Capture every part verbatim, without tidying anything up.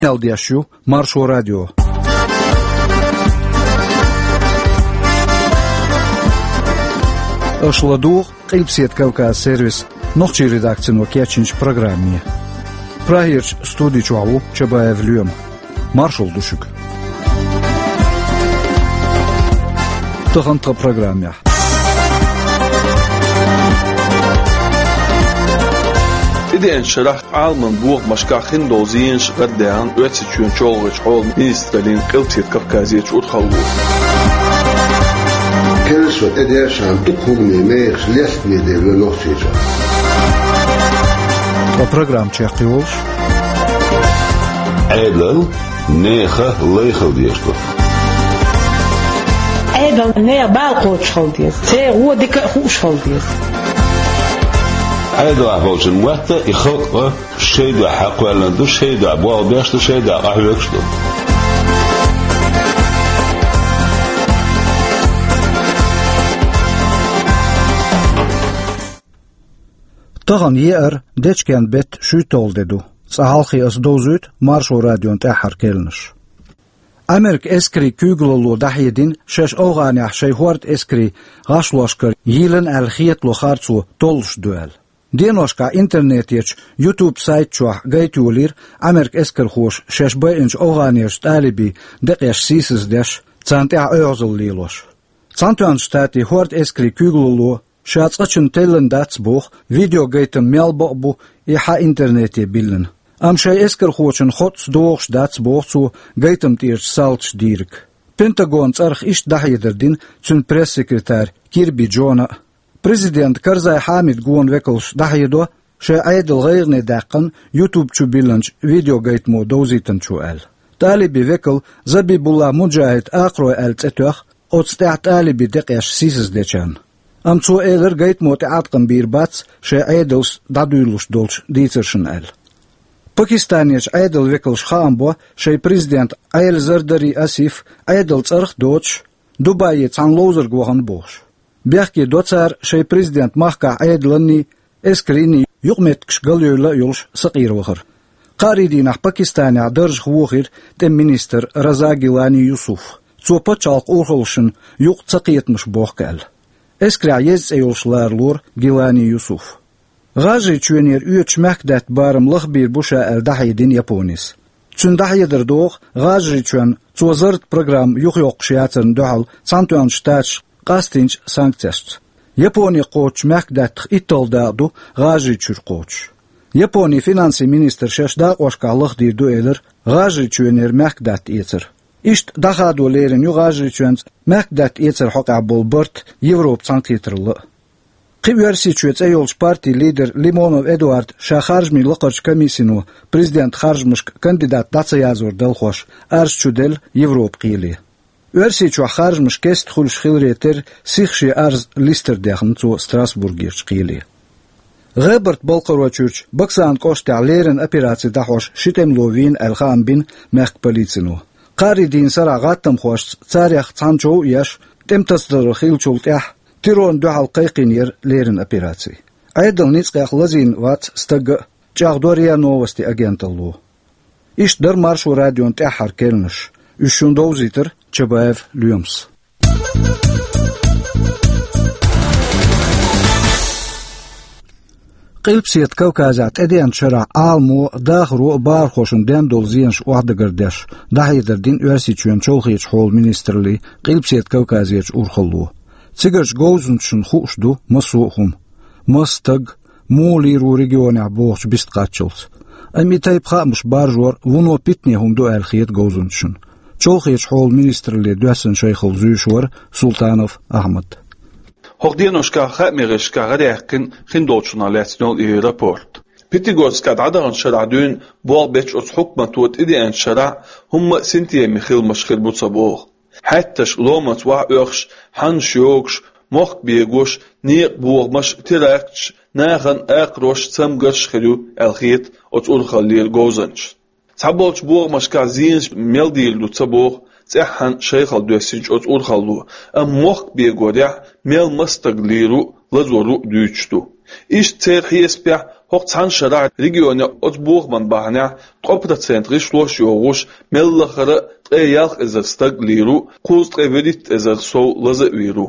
Къамел деш ю Маршо радио. Аша ладугӀу Къилбаседа Кавказ сервисан нохчийн редакцино кечйинчу программе. Прагерчу студи чохь ву Чабаев Лоьма. Маршалла ду шуьга. Тахана тхан программехь. ТӀедеанчу шарахь Ӏаламан бохамашкахь хиндолу зенаш гӀардаьхна Оьрсийчоьнан чолхечу хьолан министраллин Къилбаседа Кавказерчу урхалло. Кхерчо тӀедешан дукха хӀумане мехаш лестаме де вуьйцу Нохчийчохь. Ткъа программа чекхйолуш. Ӏедал нехан лай хила дезаш ду. Ӏедал нехан бала кхочуш хила деза. Церан гӀо дика а хууш хила деза. Ӏедалахь болчун мотт и халкъ а шайн дуьхьа хьакхоьллина ду, шайн дуьхьа болх беш ду, шайн дуьхьа къахьоьгуш ду. Тахана еара дечкен беттан шуьйтталгӀа де ду. Цкъа хьалхе аса довзуьйту Маршо радион тӀаьххьара керланаш. Америкин эскарийн куьйгалло дӀахьедина шаьш АфгӀанехь шайн хӀордан эскарийн гӀашлошкара йийлина аьлла хетало харцо толлуш ду аьлла. Деношкахь интернетехь YouTube сайт чохь гайта йолийра Америкин эскархоша шаьш байинчу АфгӀанерчу талибийн декъеш сийсаздеш, царна тӀехь оьгӀазалла лелош. Цхьаьнатоьхначу Штатийн хӀордан эскарийн куьйгалло ша цкъачунна теллина дац боху видеогайтам мел бакъ бу и хьан интернете биллина. Амма шайн эскархочун хоттаца догӀуш дац боху цо гайтам тӀерачу салташа дийриг. Пентагонан цӀарах иштта дӀахьедар дина цуьнан пресс-секретарь Кирби Джона а. Президент Карзай Хьамидан гонан векалш дӀахьедо шайн Ӏедал гӀайгӀане даьккхина YouTube чу биллинчу видеогайтамо довзийтинчо аьлла. Талибийн векал Забибуллах Муджахид акхарой аьлла цӀе тоьхна оцу тӀехь талибийн декъеш сийсаздечарна. Амма цо элира, гайтамо тӀеӀаткъам бийр бац шайн Ӏедалш дӀадуьйлалуш долчу дийцаршна аьлла. Пакистанерчу Ӏедалан векалша хаам бо шайн президент Ӏели Зардари Асиф Ӏедалан цӀарах а доцуш, Дубайе цхьана ловзарга вахана бохуш. Бехке до цара шайн президент махкахь Ӏедаланний, эскаренний юкъаметтигаш галъевлла а йолуш сакъера вахар. Кхаарийн дийнахь Пакистанехь даржах вохийра тӀеман министр Раза Гилани Юсуф. Цо пачхьалкхан урхаллашна юкъа цакхетамаш бохку аьлла. Эскарехь еза цӀе йолуш ларалора Гилани Юсуф. ГӀажарийчоьнера оьцуш мехкадаьтта барам лахбийр бу ша аьлла дӀахьедина Японис. Цуьнан дӀахьедар догӀу ГӀажарийчоьнна цо зарратан программа юхайоккхуш яцарна дуьхьал Цхьаьнатоьхначу Штаташа къастийначу санкцешца. Японе кхочучу мехкадаьттах итталгӀа дакъа ду ГӀажарийчуьра кхочуш. Японин финансийн министр шаьш дакъошкахь лахдийр ду элира ГӀажарийчоьнера мехкадаьтта эцар. Иштта дӀахадо лерина ю ГӀажарийчоьнца мехкадаьтта эцаран хьокъехь болу барт Европа цхьаьнакхетаралла а. Кхин Оьрсийчоь цӀе йолчу партин лидер Лимонов Эдуард ша харжамийн лакхарчу комиссино президентан харжамашка кандидат дӀа ца язор далхош арз чу делла Европа кхеле. Оьрсийчохь харжамаш кеста хуьлуш хиларе терра сиха шен арз листар дехна цо Страсбургерчу кхеле. ГӀебарта-Балкхаройчуьрчу Баксан кӀоштахь леррина операци дӀахьош ши тӀемало вийна аьлла хаам бина мехкан полицино. Кхаарийн дийнан сарахь гӀаттамхошца царех цхьана чов а еш, тӀеман тасадаралла хиллачул тӀаьхьа террорна дуьхьал кхайкхийна яра леррина операци. Ӏедалан ницкъех лазийна вац стаг а, чӀагӀдо РИА Новости агенталло. Иштта дара Маршо радион тӀаьххьара керланаш. Уьш шуна довзийтира Чабаев Лоьмас. Къилбаседа Кавказехь тӀедеанчу шарахь Ӏаламо, дахаро а бахархошна ден долу зенаш охьадагардеш, дӀахьедар дина Оьрсийчоьнан чолхечу хьолан министраллин Къилбаседа Кавказерчу урхалло. Цигарчу говзанчашна хууш ду массо а хӀума. Маса стаг, муха лийр ву регионехь бохучу бист кхаччалц. Амма и тайпа хаамаш баржор вуно питане хӀума ду аьлла хета говзанчашна. Чолхечу хьолан министралле доьссина шайхалла зуьйш вара Султанов Ахьмад. ХӀокху деношкахь хаамийн гӀирсашкахь гӀараяьккхина хиндолчунах лаьцна йолу и рапорт. Пятигорскехь дӀадаханчу шарахь дуьйна болх бечу оцу хьукмато тӀедеанчу шарахь хӀумма а синтеме хиламаш хир бу ца боху. Хьаьтташ ломаца ваха оьхуш, хьаннаш йогуш, мохк бегош, некъан бохамаш, теракташ, нахана акхарош, цамгарш хир ю аьлла хета оцу урхаллера говзанчашна. Цхьаболчу бохамашкахь зенаш мел дийр ду ца боху цӀеххьана шайхалла доьссинчу оцу урхалло, амма мохк бегорехь мел маса стаг лийр ву, лазор ву дуьйцуш ду. Иштта церан хьесапехь ХӀокху цхьана шарахь регионехь оцу бохаман бахьанехь ткъо процент гӀишлош а йохуш, мел лахара а ткъе ялх эзар стаг лийр ву, кхузткъе вуьрхӀитта эзар сов лаза а вийр ву.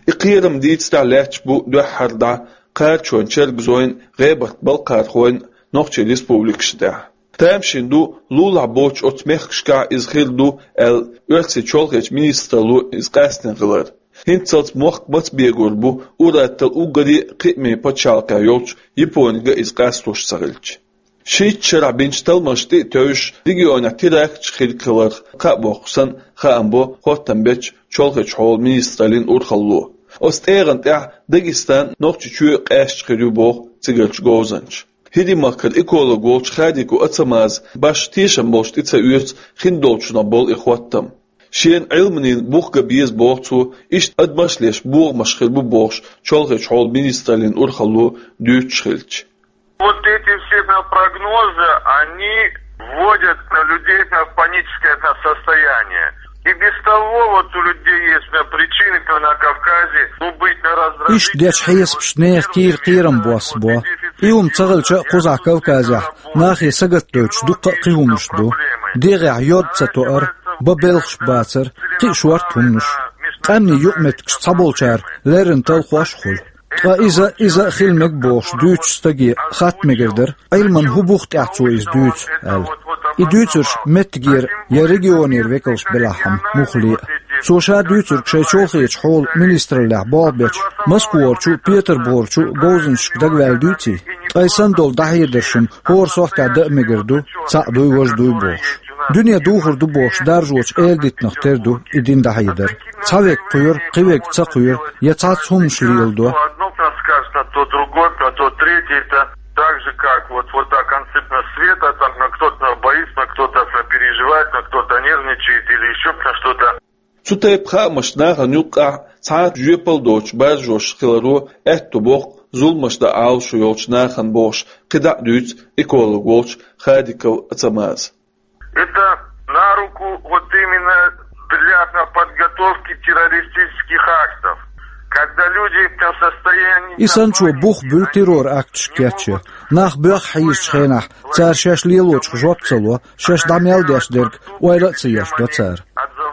И кхерам дийцарехь лаьтташ бу дуьххьара дӀа кхачонан чергазойн, гӀебарт балкхархойн Нохчийн республикашна тӀехь. Тамашийна ду лулахь боцчу оцу мехкашкахь иза хир ду аьлла, оьрсийн чолхечу министралло иза къаьстина хилар. ХӀинццалц мохк маца бегор бу ур-атталла уггаре а кхиамийн пачхьалкхехь йолчу Японига иза къастош ца хилча. Шийтта шарахь бинчу талламашна тӀе а тевжаш, регионехь теракташ хирг хиларх кхаъ боккхуш санна, хаам бо хоттам бечу чолхечу хьолан министраллин урхалло. Оцу тӀегӀан тӀехь Дагестан, Нохчийчоь а къаьсташ хир ю боху цигарчу говзанча. ХӀирийн махкара эколог волчу Хадиков Ацамаза башха тешам болуш тӀе ца оьцу хиндолчунах болу и хоттам. Шена Ӏилманийн бух ган беза боху цо, иштта адамаш а леш бохамаш хир бу бохуш чолхечу хьолан министраллин урхалло дуьйцуш хилча. Вот эти все прогнозы, они вводят на людей на паническое состояние. И без того вот у людей есть на причины, то на Кавказе, ну, быть на раздражительность. Иштта дечу хьесапашна нехан кийра кхерам босса бо. И хӀума ца хилча а кхузахь Кавказехь нахе сагатдойтуш дуккха а кхин хӀуманаш ду. ДегӀехь йод ца тоар, бан белхаш бацар, кхин а шорта хӀуманаш. Къаьмнийн юкъаметтигаш цхьаболчара леррина талхош а хуьлу. Ткъа иза, иза а хила мега бохуш дуьйцучу стаге хатта мегар дара, Ӏилманан хӀун бух тӀехь цо иза дуьйцу аьлла. И дуьйцурш меттигера я регионера векалш белахь-м муххале а. Цо ша дуьйцург шайн чолхечу хьолан министраллехь болх бечу Москварчу а, Петарбугарчу а говзанчашка дагаваьлла дуьйций? Ткъа и санна долу дӀахьедарш-м хӀора сохьтехь дан а мегар ду, цхьаъ дуй, важа дуй бохуш. Дуьне духур ду бохуш даржочу эладитанах тера ду и дина дӀахьедар. Цхьа верг кхоьру, кхин верг ца кхоьру, я цхьацца хӀуманаш леладо. Одно скажет, а то другое, а то третье, это так же, как вот, вот так, концепт на света, там, на кто-то боится, на кто-то переживает, на кто-то нервничает или ещё на что-то. Цу тайпа хаамаш нахана юккъехь цхьа а жоьпалла доцуш баржош хиларо аьтто боккху зуламаш дан Ӏалашо йолчу нахана бохуш, кхидӀа а дуьйцу эколог волчу Хадиков Ацамаза. Это на руку вот именно для подготовки террористических актов, когда люди в состоянии... И санна цо бух буьллу террор-акташ кечъян. Нах боьхна хьийзачу хенахь, цара шаьш лелочух жоп ца ло, шаьш дӀа мел деш дерг ойла а ца еш до цара.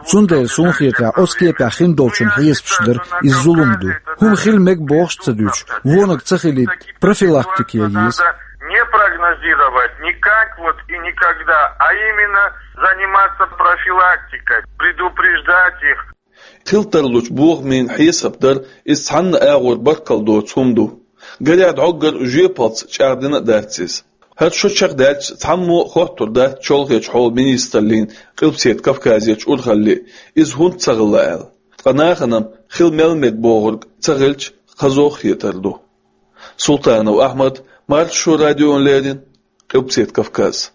Цундела, суна хетарехь, оцу кепехь хиндолчун хьесапаш дара иза зулам ду. ХӀума хила мега бохуш а ца дуьйцуш, вониг ца хилийта профилактика ян еза. Не прогнозировать никак вот и никогда, а именно заниматься профилактикой, предупреждать их. Хила тарлучу бохамийн хьесап дар иза цхьанна агӀор баркалла доцу хӀума ду. Гарехь, дӀоггара жоьпаллица чӀагӀдина а дац иза. ХӀара шо чекхдаьлча, цхьаммо а хоттур дац чолхечу хьолан министраллин Къилбаседа Кавказерчу урхалле иза хӀунда ца хилла аьлла. Ткъа нахана-м хила мел мега бохург ца хилча, хазох а хетар ду. Султанов Ахьмад, Маршо радиона леррина, Къилбаседа Кавказ.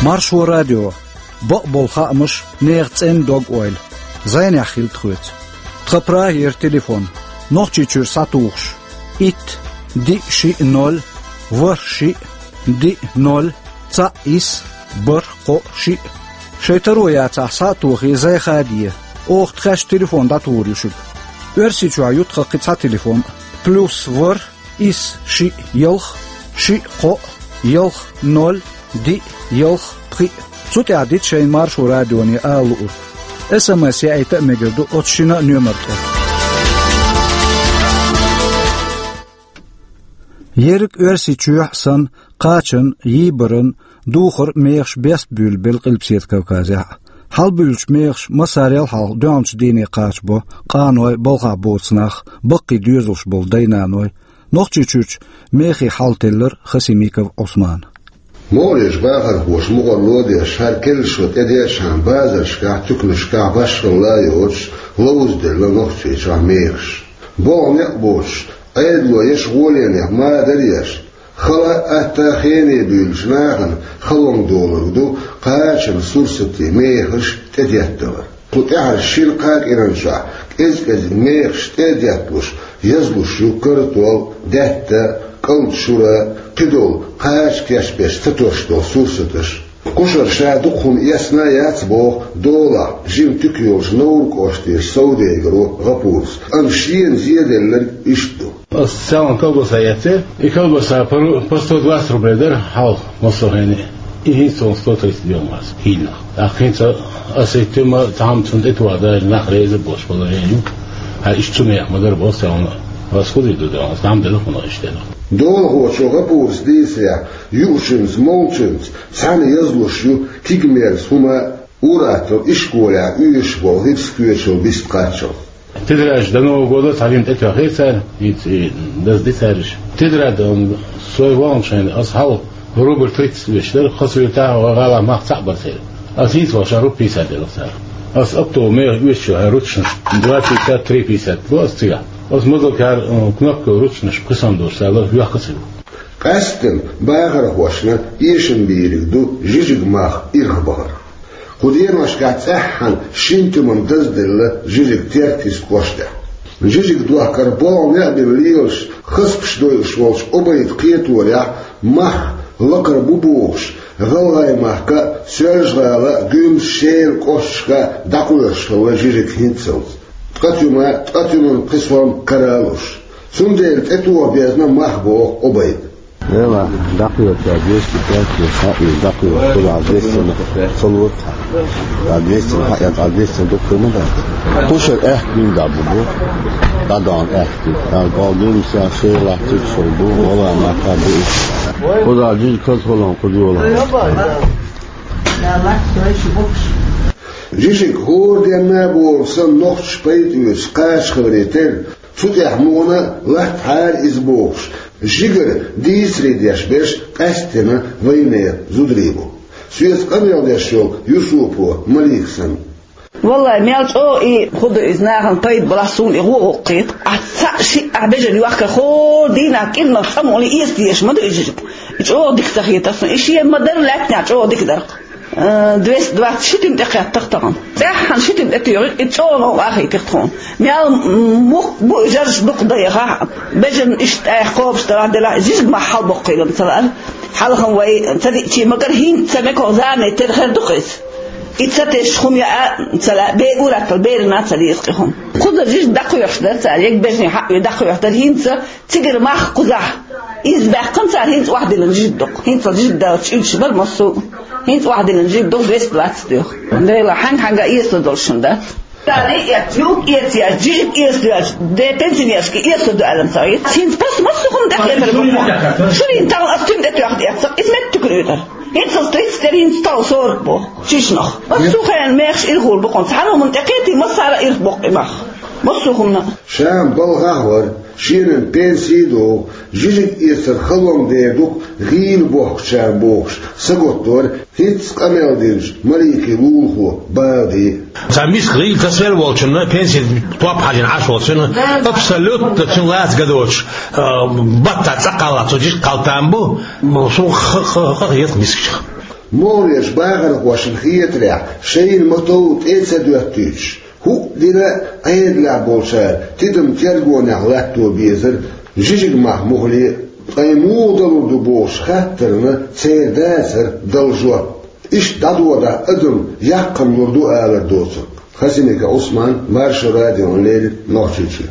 Маршо радио. Бакъболу хаамаш, нехан цӀена дог-ойла. ЗӀенехь хила тхоьца. Тхан Прагера телефон. Нохчийчуьра схьатухуш: итт, диъ, шиъ, ноль, ворхӀ, шиъ, диъ, ноль, цхьаъ, исс, бархӀ, кхоъ, шиъ. Шайн таро яцахь, схьа а тохий, зӀе хаде. Оха тхаьш телефон дӀатухур ю шуьга. Оьрсийчохь ю тхан кхин цхьа телефон: плюс ворхӀ, исс, шиъ, ялх, шиъ, кхоъ, ялх, ноль, диъ, ялх, пхиъ. Цу тӀехь дита шайна Маршо радионе ала луург. СМС яийта а мегар ду оцу шина а номер тӀе. Ерриг Оьрсийчохь а санна, кхачан, йийбаран, духар а мехаш бест буьйлабелла Къилбаседа Кавказехь а. Хьалабуьллучу мехаша массарел а хьалха доьалгӀачу дийне кхачабо къаной, балхахь боцу нах, баккхий доьзалш болу дай-наной. Нохчийчуьрчу мехий хьал теллира Хасимиков Ӏусмана. МогӀарерчу бахархоша мукъарло а деш, хӀара керла шо тӀедеъчхьана, базаршкахь, туьканашкахь башхалла а йоцуш, ловзаделла Нохчийчохь мехаш. БогӀу некъ боцуш, Ӏедало еш гӀоленех мадар а еш, хала а, атта а хене буьйлучу нахана халонга долург ду кхачан сурсатийн мехаш тӀедетталар. Кху тӀаьхьарчу шина-кхаа кӀиран чохь кӀез-кӀезиг мехаш тӀе а детталуш, язлуш ю картол, даьтта, кӀалд шура, кхидолу кхача кечбеш ца тош долу сурсаташ. Кхушара ша дукха хӀума эцна а яц, боху долахь жима туька йолчу Невран кӀоштера совдегаро Гапурас. Амма шена зеделларг иштта ду. Ас цхьана колбаса эцна, и колбаса пару, по сто двадцать рублей дара хьалха массо а хенахь. И хӀинца сто тридцать бен вац, хӀинца. ТӀаккха хӀинца аса и туьма цхьамма цунна тӀетоха даже нах реза болуш положение ю. Хьан иштта цу меха ма дара боху цхьана. Ас хӀун дийр ду, ас дӀа ма делла хӀуна иштта. Долахочо Гапурас дийцарехь, юучуьнца, молчуьнца цхьаьна язлуш ю кегий мерза хӀума, ур-атталла ишколехь оьшуш болу хӀирс коьчал бист кхаччалц. Тетрадаш до Нового года цхьа жима тӀетоьхна цара, хӀинца и дазди цаьрша. Тетрад, м, со ваханчу хенахь ас хьалха рубль тридцать оьшуш дара, хазахетахь гӀалахь мах цхьаъ бара церан. Ас хӀинца вахча рубль пятьдесят делла цара. Ас оптовый меха оьшуш йолу ручканаш два пятьдесят, три пятьдесят бу ас цигахь. Ас мазал кара, м, кнопка ручканаш пхи сом долуш цара йоьхна ца ю. Къаьсттина бахархошна эшам бийриг ду жижиг мах ирхбахар. Кху деношкахь цӀеххьана шина туьманан дазделла жижиг Теркйист кӀоштехь. Жижиг дохкар болх а бина лелаш, хазпаш дойуш волчу Обайдан кхеторехь, мах лакхара бу бохуш, ГӀалгӀайн махка а, Соьлжа-ГӀала а, Гуьмсан, Шелан кӀошташка а дӀакхоьхьуш хилла жижиг хӀинццалц. Ткъа туьма, ткъа туьманан пхи сом кара а луш. Цундела тӀетоха безна мах, боху Обайда. Эла, дӀакхоьхьу, двести пять, хьаъ, дӀакхоьхьу, кхузахь двести ца лоцу. Ткъа двести хьаъ, ткъа двести дуккха ма дац. Кхушара аьхка бина дӀа бу бу. ДӀадахана аьхка. Ткъа гӀалгӀа дуьйна ша шайла латтуьйтуш хилла бу, вала ма кхаба иза. Кхузахь жижиг хаза хилла, кхуза йола. Жижиг хӀора денна а боху санна нохчаша пайда оьцуш кхача хиларе терра, цу тӀехь мукъана латтахьара иза бохуш, жигара дийцаре деш берш къаьсттина вайнехан зударий бу. Соьца къамел деш йолу Юсупова Малика санна. Валлай, мел чӀогӀа и хӀун ду иза, нахана пайда балахь, суна и гӀо гӀо кхета. Ахь цхьаъ-шиъ ахь бежана йохкар хӀора дийнахь кӀирнах цкъа мукъане эца дезаш ма ду и жижиг. И чӀогӀа дика ца хета суна. И шена ма-дарра лаьттанехь чӀогӀа дика дара. Э, двести двадцать ши туьма тӀекхеттара тахана. ЦӀеххьана ши туьма тӀетоьхира, и чӀогӀа новкъа хетира тхуна. Мел, м, мухха бу и жарш дукха дан яхахь, бежана иштта тӀехь кхобуш далахь делахь, жижиг мах хьалабоккхур ма ца лаьара. Хьалха вай ца диъча ма-гарра, хӀинца ца мекох зама тера хир ду-кх иза. И ца тесча хӀума яа а ца лаьа, бе-, ур-атталла берана а ца деза-кх и хӀума. Кхузара жижиг дӀакхоьхьуш дара цара, ерриг бежанийн хьаъ ю дӀакхоьхьуш дара, хӀинца цигара мах кхузахь. Иза баьккхина цара, хӀинца охьадиллина жижиг ду-кх. ХӀинца жижиг даллалц уьдуш бара массо а. ХӀинца охьадиллина жижиг ду-кх, двести двадцать доьху. Дела, хьаьнга-хьаьнга эца долуш хӀума дац. Цара и эцна, юкъ эца еш, жижиг эца доьлча, де пенсионершка эца ду аьлла ца гӀийта. ХӀинца просто массо а хӀума тӀекхетар бу-кх. Шурин тахана ас туьма тӀетоьхна эцна, иза меттиг ю тара. ХӀинца ас тридцать тера, хӀинца тахана сорок бу. Чишнах. Массо а хенахь мехаш ирхур бу-кх. Цхьана хӀуманна тӀекхетий, массара ирх боккху и мах. Массо а хӀуманна. Ша балхахь вара, шена пенси а догӀу, жижиг эцар халонга дер ду-кх гӀийла бохкучарна бохуш, сагатдора хӀинцца къамел динчу Маликин лулахо Бади. Цхьа миска гӀийла ца сел волчунна, пенси топ хьажийна Ӏаш волчунна, абсолютно цуьнан лаца ган доцуш, а, баттахь цӀа кхаллахь, цо жижиг кхалла там бу, суна ха-, ха-, ха-, хета мискачех. МогӀарерчу бахархошна хетарехь, шайна ма-тов тӀе а ца доьттуьйтуш, хӀуъа дина а Ӏедалехь болчара тидам тергонехь латто безара, жижиг мах муххале а, ткъа и муха далур ду бохуш хаттарна церан дацара дала жоп. Иштта дӀадодахь адам яккхам лур ду алар доцург. Хасимиков Ӏусман, Маршо радиона леррина, Нохчийчоь.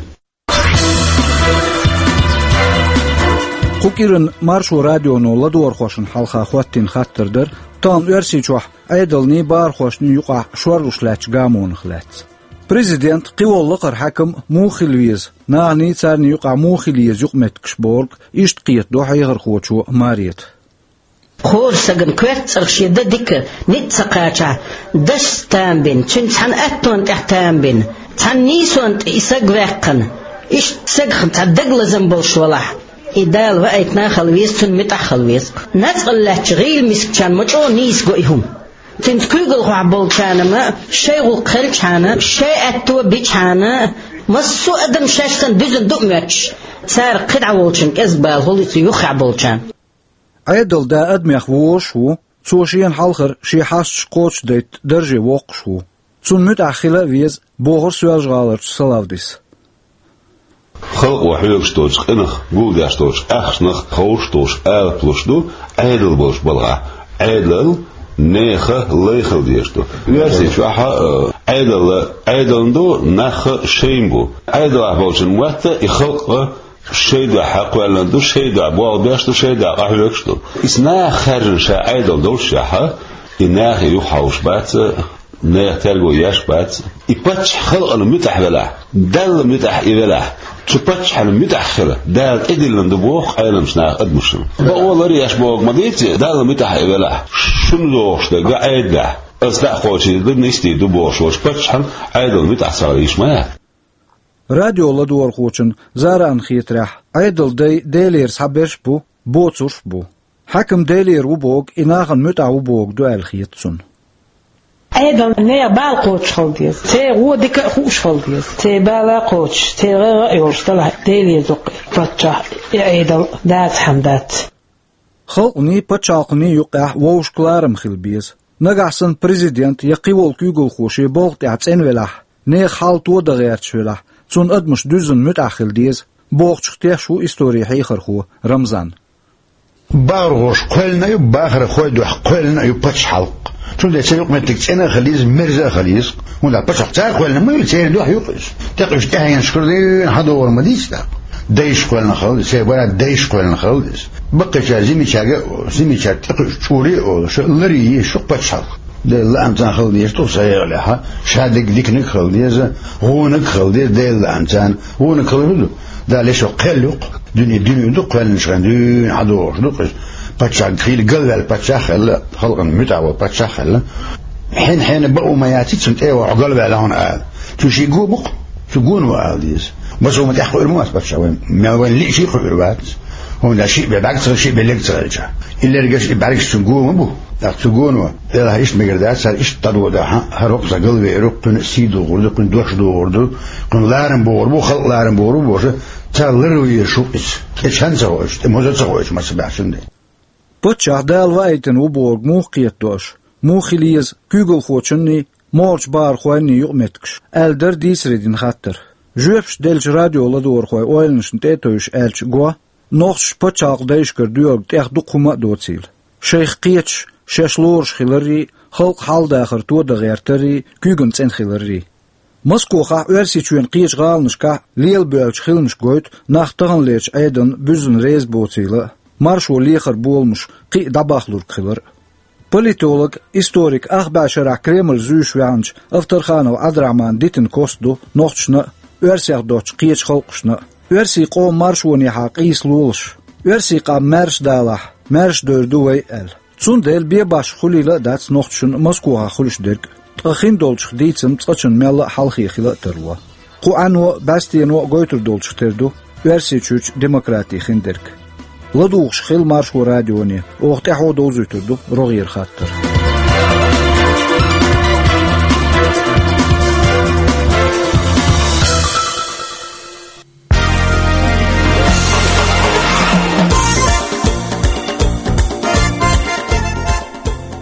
Кху кӀиран Маршо радионо ладогӀархошна хьалха хӀоттийна хаттар дара, тахана Оьрсийчохь Ӏедалний, бахархошний юкъахь шорлуш лаьттачу гамонах лаьцна. Президент, кхин волу лакхара хьаькам муха хила веза, наханий, царний юкъахь муха хила еза юкъаметтигаш бохург, иштта кхетадо хьехархочо Марета. Кхочу стагана коьрта цӀарах шен дан дика, ницкъ ца кхачахь, дашца там бина, цуьнан цхьана аттонна тӀехь там бина, цхьана нийсонна тӀе и саг ваьккхина, иштта стагах цхьа дагалазам болуш валахь, и Дала ваийтина а хила веза, цунна муьтӀахь а хила веза. Нацкъала лаьттачу гӀийла мискачарна ма чӀогӀа нийса го и хӀума. Цуьнца куьйгалхохь болчарна ма, шайн гӀуллакх хилчхьана, шайн аьтто бичхьана, массо а адам шаьш санна дуьзна ду а моьттуш, цара кхидӀа волчун кӀезиг бала хуьлу цу юххехь болчарна. Ӏедалан да адамех вожаш ву, цо шена хьалхара шен хьасташ кхочушдайтта дарже воккхуш ву. Цунна муьтӀахь хила а веза, бохура Соьлжа-ГӀаларчу Салавдис. Халкъо хьоьгуш долчу къинах, гулдеш долчу ахчанах ховшуш долуш алапа луш ду Ӏедал болуш балхахь. Ӏедал Неха лай хила дезаш ду. Оьрсийчохь а, Ӏедал, Ӏедална ду, нах шайна бу. Ӏедалахь болчун мотт и халкъ шай дуьхьа кхоьллина ду, шай дуьхьа болх беш ду, шай дуьхьа къахьоьгуш ду. Иза наха хаьржина ша Ӏедал доллушехь, и нахе юхахьовш бац, нехан терго еш бац. И паччахь халкъана муьтӀахь велахь, Далла муьтӀахь и велахь, цу паччахьна муьтӀахь хила Дала тӀедиллина ду боху къайламчу наха адамашна. Бакъо лар еш боху ма дийци, Далла муьтӀахь и велахь, шуна догӀуш дерг Ӏедалехь, аса дӀа а кхочийла ду, нисдийр ду бохуш волчу паччахьна Ӏедал муьтӀахь ца хила йиш ма яц. Радио ладогӀархочун Заран хетарехь, Ӏедал дай Делера схьаберш а бу, боцурш а бу. Хьаькам Делера ву бохург, и нахана муьтӀахь ву бохург ду аьлла хета цунна. Ӏедал нехан бала кхочуш хила деза. Церан гӀо дика а хууш хила деза. Церан бала а кхочуш, церан гӀайгӀа а йолуш делахь, Делера ду-кх и паччахь, и Ӏедал, дацахьама дац. Халкъаний, пачхьалкханий юккъехь вовшашка ларам хила беза. Нагахь санна президент я кхин волу куьйгалхо шен болх тӀехь цӀена велахь, нехан хьал тодан гӀерташ велахь, цунна адамаш дуьззина муьтӀахь хила деза, бохучух тешаш ву историн хьехархо Рамзан. БагӀархоша кхоьллина а ю, бахархой дуьхьа кхоьллина а ю пачхьалкх. Цундела церан юкъаметтиг цӀена а хила еза, мерза а хила еза. ХӀунда аьлча пачхьалкх цара кхоьллина ма ю, церан дуьхьа ю-кх иза. ТӀекхуьуш тӀаьхьенашкара дуьйна хьадогӀур ма дийца тӀаккха. Дайша кхоьллина хила деза, церан бара дайша кхоьллина хила деза. Баккхийчара зимичаьрга, зимичаьрга тӀекхуьуш чӀуре а олуш, лар а еш ю-кх пачхьалкх. Делан лаамца хила деза тӀу сан егӀалехьа, ша дерг диканиг а хила деза, гӀонаг а хила деза, Делан лаамца гӀонаг хила хӀун ду? Дала ешо кхел ю-кх, дуьне дуьне ду, кхоьллинчу хенахь дуьйна хьадогӀуш ду-кх иза. Паччахь хийла галваьлла паччахь а хилла, халкъана муьтӀахь волу паччахь а хилла. Хьенан-хьенан бакъо ма яц цунна тӀе а вахьа галваьлла хьуна ала. Цу шиъ го бу-кх, цу гоно ала деза. Масо ма тӀехь кхуьур ма вац паччахь вайн, мел вайна лиъчий кхуьур вац. ХӀунда аьлча шиъ бен бӀаьргаш ца хилла, шиъ бен лерг ца хилча. И лергаш, и бӀаьргаш цуьнан го ма бу. ТӀаккха цу гоно, делахь иштта мегар дац, цара иштта дӀадодахь, хӀара хӀокху сан галвер ву, кхуьнан а сий дохур ду, кхуьнан дош дохур ду, кхуьнан ларам бохур бу, халкъ ларам бохур бу бохуша, цара лар везаш ву иза. ТӀе чан ца хоуьйтуш, тӀе моза ца хоуьйтуш, маца баьхчун де. Паччахь Дала ваийтина ву бохург муха кхетадо аша? Муха хила еза куьйгалхочунний, могӀарчу бахархойнний юкъаметтигаш? Аьлла дара дийцаре дина хаттар. Жоьпаш деллачу радио ладогӀархойн ойланашна тӀе а тевжаш аьлча го, нохчаша пачхьалкх дайшкара доьгӀург тӀех дукха хӀума а доцийла. Шайх кхеташ, шаьш лоруш хиларрий, халкъан хьал-дахар тодан гӀертаррий, куьйгана цӀена хиларрий. Москохахь, Оьрсийчоьнан кхечу гӀаланашкахь лелабоьллачу хиламаша гойту нах таханлерчу Ӏедална буьззина реза боцийла а, маршо лехар боламаш кхин а дӀабахлург хилар а. Политолог, историк, ах бӀе шарахь Кремль зуьйш ваьхначу Авторханов Ӏабдурахьмана дитина кост ду нохчашна а, оьрсех доцчу кхечу халкъашна а. Оьрсийн къоман маршонехьа къийса лолаш, оьрсийн къам маьрша далахь, маьрша дойр ду вай аьлла. Цундела бен башха хуьлийла а дац нохчашна Москохахь хуьлуш дерг, ткъа хиндолчух дийцам цкъачунна мелла а хьалхе хила а тарло. Кху Ӏано а, бӀаьстено а гойтур долчух тера ду Оьрсийчуьрчу демократи хиндерг. ЛадугӀуш хила Маршо радионе, оха тӀаьхьо довзуьйтур ду рогӀера хаттар.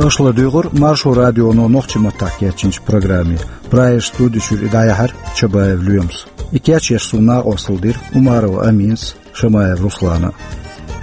Аша ладуьйгӀура Маршо радионо нохчийн маттахь кечйинчу программе. Прагерчу студи чуьра и дӀаяьхьира Чабаев Лоьмас. И кечъеш суна накъосталла дира Умарова Аминас, Шамаев Руслана.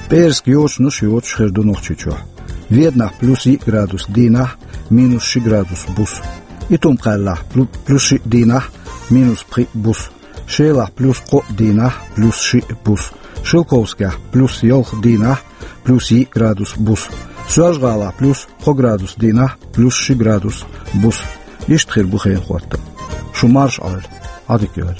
ПӀераска йочанаш йоцуш хир ду Нохчийчохь. Веданахь плюс йиъ градус дийнахь, минус ши градус буса. Итум-Кхаьллахь плю-, плюс шиъ дийнахь, минус пхиъ буса. Шелахь плюс кхоъ дийнахь, плюс шиъ буса. Шелковскехь плюс ялх дийнахь, плюс йиъ градус буса. Соьлжа-ГӀалахь плюс кхо градус дийнахь, плюс ши градус буса. Иштта хир бу хенан хӀоттам. Шу марша Ӏойла, Ӏадика йойла.